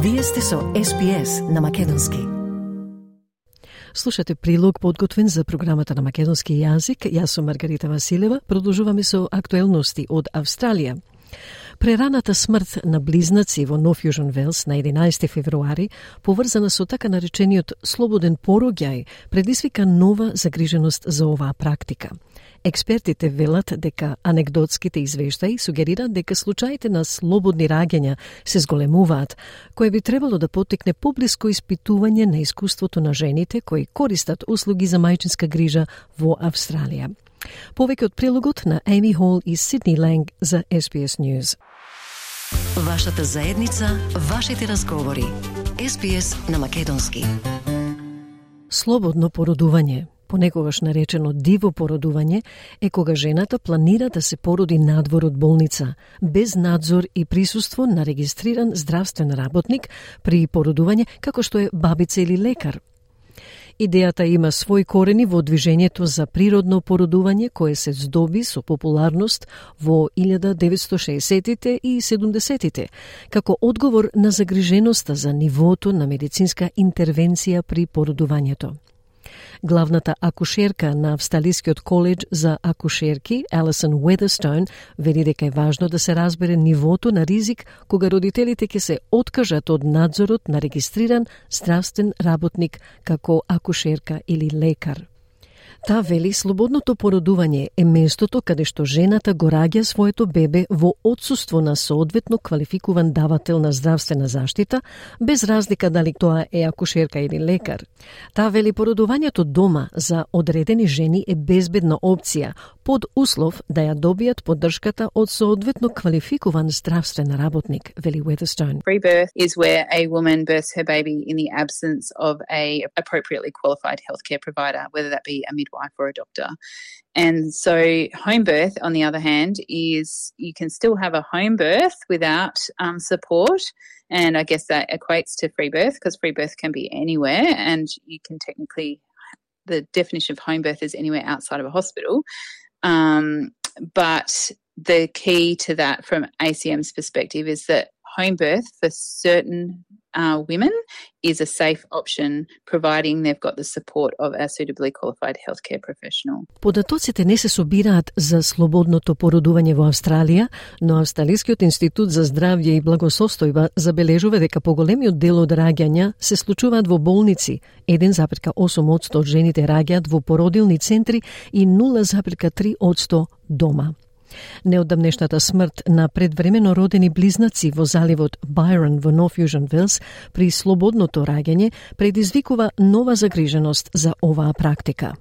Вие сте со SPS на македонски. Слушате прилог подготвен за програмата на македонски јазик. Јас сум Маргарита Василева. Продолжуваме со актуелности од Австралија. Прераната смрт на близнаци во Нов Јужен Велс на 11 февруари, поврзана со така наречениот слободен пороѓај, предизвика нова загриженост за оваа практика. Експертите велат дека анегдотските извештаи сугерираат дека случаите на слободни раѓања се зголемуваат, кое би требало да поттекне поблиско испитување на искуството на жените кои користат услуги за мајчинска грижа во Австралија. Повеќе од прилогот на Amy Hall и Сидни Ланг за SBS News. Вашата заедница, вашите разговори. SBS на македонски. Слободно породување, понекогаш наречено диво породување, е кога жената планира да се породи надвор од болница, без надзор и присуство на регистриран здравствен работник при породување, како што е бабица или лекар. Идејата има свој корени во движењето за природно породување кое се здоби со популарност во 1960-тите и 70-тите, како одговор на загриженоста за нивото на медицинска интервенција при породувањето. Главната акушерка на Австралискиот коледж за акушерки, Алисон Уедерстоун, вели дека е важно да се разбере нивото на ризик кога родителите ќе се откажат од надзорот на регистриран здравствен работник како акушерка или лекар. Та вели слободното породување е местото каде што жената го раѓа своето бебе во отсуство на соодветно квалификуван давател на здравствена заштита, без разлика дали тоа е акушерка или лекар. Та вели породувањето дома за одредени жени е безбедна опција, под услов да ја добијат поддршката од соодветно квалификуван здравствен работник, вели Weatherstone. Free birth is where a woman births her baby in the absence of a appropriately qualified healthcare provider, whether that be a midwife or a doctor. And so home birth, on the other hand, is you can still have a home birth without support. And I guess that equates to free birth because free birth can be anywhere and you can technically, the definition of home birth is anywhere outside of a hospital. But the key to that from ACM's perspective is that home birth for certain women is a safe option, providing they've got the support of a suitably qualified healthcare professional. Податоците не се собираат за слободното породување во Австралија, но Австралискиот институт за здравје и благосостојба забележува дека поголемиот дел од раѓања се случуваат во болници. 1,8% од жените раѓаат во породилни центри и 0,3% дома. Неодамнешната смрт на предвремено родени близнаци во заливот Byron во Нов Јужен Велс при слободното раѓање предизвикува нова загриженост за оваа практика.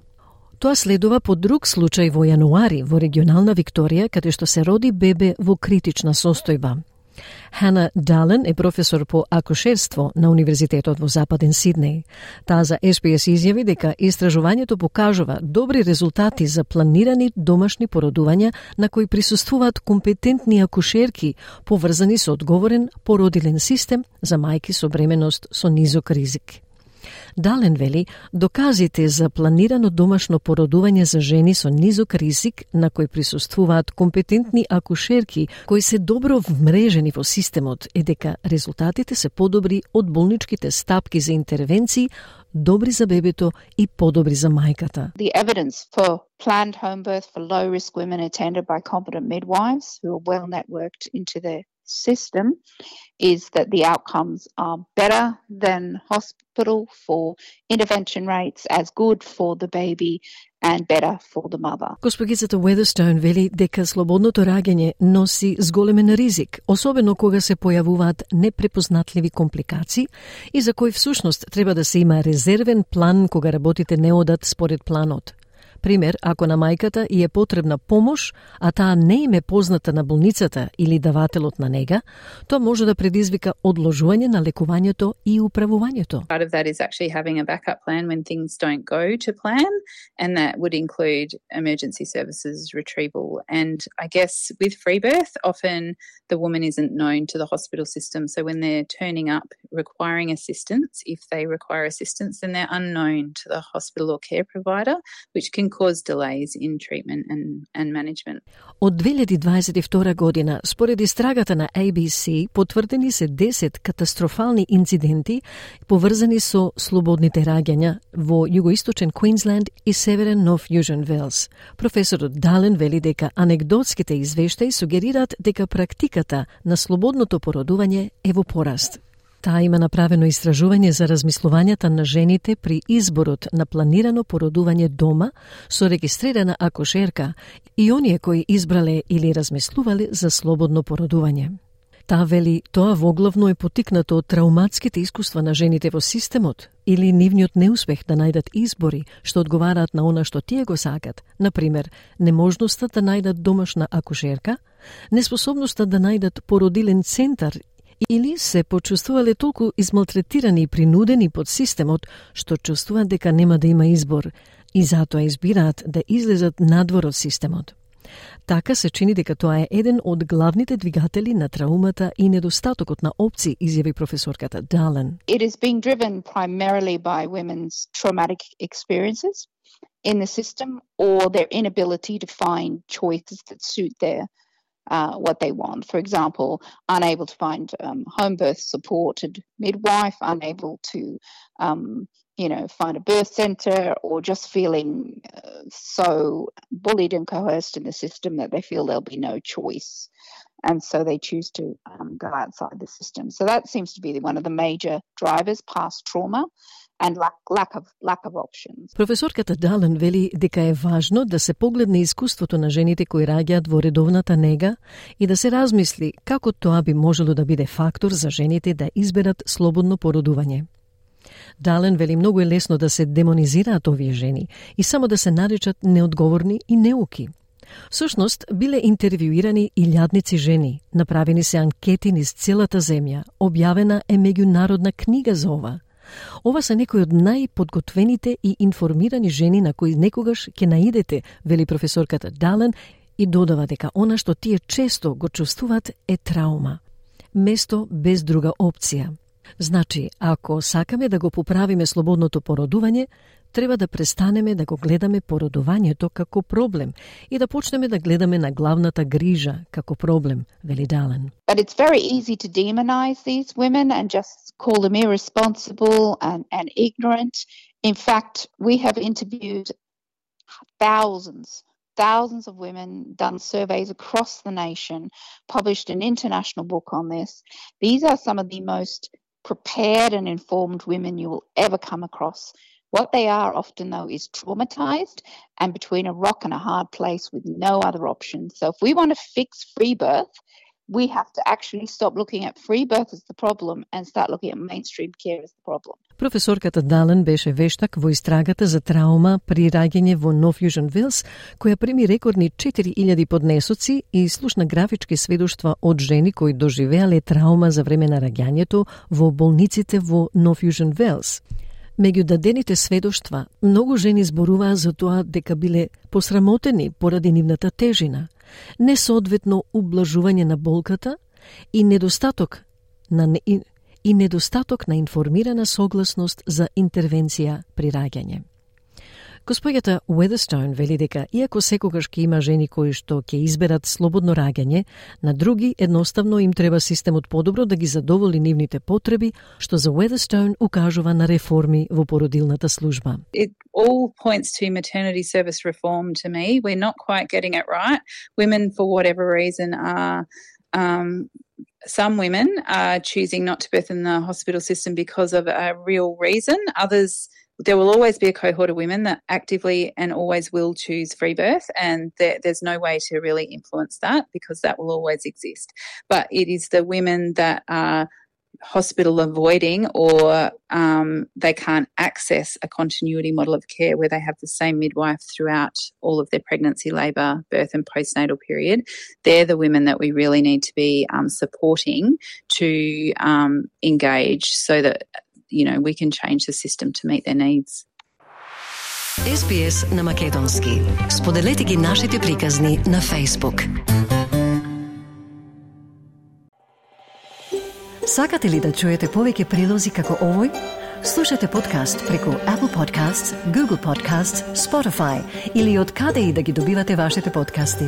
Тоа следува по друг случај во јануари во регионална Викторија, каде што се роди бебе во критична состојба. Хана Дален е професор по акушерство на Универзитетот во Западен Сиднеј. Таа за SBS изјави дека истражувањето покажува добри резултати за планирани домашни породувања на кои присуствуваат компетентни акушерки, поврзани со одговорен породилен систем за мајки со бременност со низок ризик. Дален вели, доказите за планирано домашно породување за жени со низок ризик на кои присуствуваат компетентни акушерки кои се добро вмрежени во системот е дека резултатите се подобри од болничките стапки за интервенции, добри за бебето и подобри за мајката. The evidence for planned home birth for low risk women attended by competent midwives who are well networked into the system is that the outcomes are better than hospital for intervention rates, as good for the baby and better for the mother. Госпогицата Weatherstone вели дека слободното раѓање носи зголемен ризик, особено кога се појавуваат непрепознатливи компликации и за кои всушност треба да се има резервен план кога работите не одат според планот. Пример, ако на мајката и е потребна помош, а таа не им е позната на болницата или давателот на нега, тоа може да предизвика одложување на лекувањето и управувањето. Part of that is actually having a backup plan when things don't go to plan, and that would include emergency services retrieval. And I guess with free birth, often the woman isn't known to the hospital system, so when they're turning up requiring assistance, if they require assistance, then they're unknown to the hospital or care provider, which can cause delays in treatment and management. Од 2022 година, според истрагата на ABC, потврдени се 10 катастрофални инциденти поврзани со слободните раѓања во југоисточен Квинсленд и северен Нов Јужен Велс. Професорот Дален вели дека анегдотските извештаи сугерираат дека практиката на слободното породување е во пораст. Таа има направено истражување за размислувањата на жените при изборот на планирано породување дома со регистрирана акушерка и оние кои избрале или размислувале за слободно породување. Таа вели тоа воглавно е потикнато од трауматските искуства на жените во системот или нивниот неуспех да најдат избори што одговараат на она што тие го сакат, например, неможноста да најдат домашна акушерка, неспособноста да најдат породилен центар или се почувствувале толку измалтретирани и принудени под системот што чувствуваат дека нема да има избор и затоа избираат да излезат надвор од системот. Така се чини дека тоа е еден од главните двигатели на траумата и недостатокот на опции, изјави професорката Дален. It is being driven primarily by women's traumatic experiences in the system or their inability to find choices that suit their what they want. For example, unable to find home birth supported midwife, unable to find a birth centre, or just feeling so bullied and coerced in the system that they feel there'll be no choice. And so they choose to go outside the system. So that seems to be one of the major drivers, past trauma and lack of options. Професорката Дален вели дека е важно да се погледне искуството на жените кои раѓаат во редовната нега и да се размисли како тоа би можело да биде фактор за жените да изберат слободно породување. Дален вели многу е лесно да се демонизираат овие жени и само да се наречат неодговорни и неуки. Всушност, биле интервјуирани илјадници жени, направени се анкети низ целата земја, објавена е меѓународна книга за ова. Ова се некои од најподготвените и информирани жени на кои некогаш ќе наидете, вели професорката Дален, и додава дека она што тие често го чувствуваат е траума. Место без друга опција. Значи, ако сакаме да го поправиме слободното породување, треба да престанеме да го гледаме породувањето како проблем и да почнеме да гледаме на главната грижа како проблем, вели Дален. But it's very easy to demonize these women and just call them irresponsible and ignorant. In fact, we have interviewed thousands of women, done surveys across the nation, published an international book on this. These are some of the most prepared and informed women you will ever come across. What they are often, though, is traumatized and between a rock and a hard place with no other options. So if we want to fix free birth, we have to actually stop looking at free birth as the problem and start looking at mainstream care as the problem. Професорката Дален беше вештак во истрагата за траума при раѓање во Нов Јужен Велс, која прими рекордни 4000 поднесоци и слушна графички сведоштва од жени кои доживеале траума за време на раѓањето во болниците во Нов Јужен Велс. Меѓу дадените сведоштва, многу жени зборуваа за тоа дека биле посрамотени поради нивната тежина, несоодветно ублажување на болката и недостаток на информирана согласност за интервенција при раѓање. Госпоѓата Weatherstone вели дека, иако секогаш ќе има жени кои што ќе изберат слободно раѓање, на други едноставно им треба системот подобро да ги задоволи нивните потреби, што за Weatherstone укажува на реформи во породилната служба. It all points to maternity service reform to me. We're not quite getting it right. Women, for whatever reason, are some women are choosing not to birth in the hospital system because of a real reason. Others, there will always be a cohort of women that actively and always will choose free birth, and there's no way to really influence that because that will always exist. But it is the women that are hospital avoiding or they can't access a continuity model of care where they have the same midwife throughout all of their pregnancy, labour, birth and postnatal period. They're the women that we really need to be supporting to engage so that we can change the system to meet their needs. SBS на македонски. Споделете ги нашите приказни на Facebook. Сакате ли да чуете повеќе прилози како овој? Слушате подкаст преку Apple Podcasts, Google Podcasts, Spotify или од каде и да ги добивате вашите подкасти.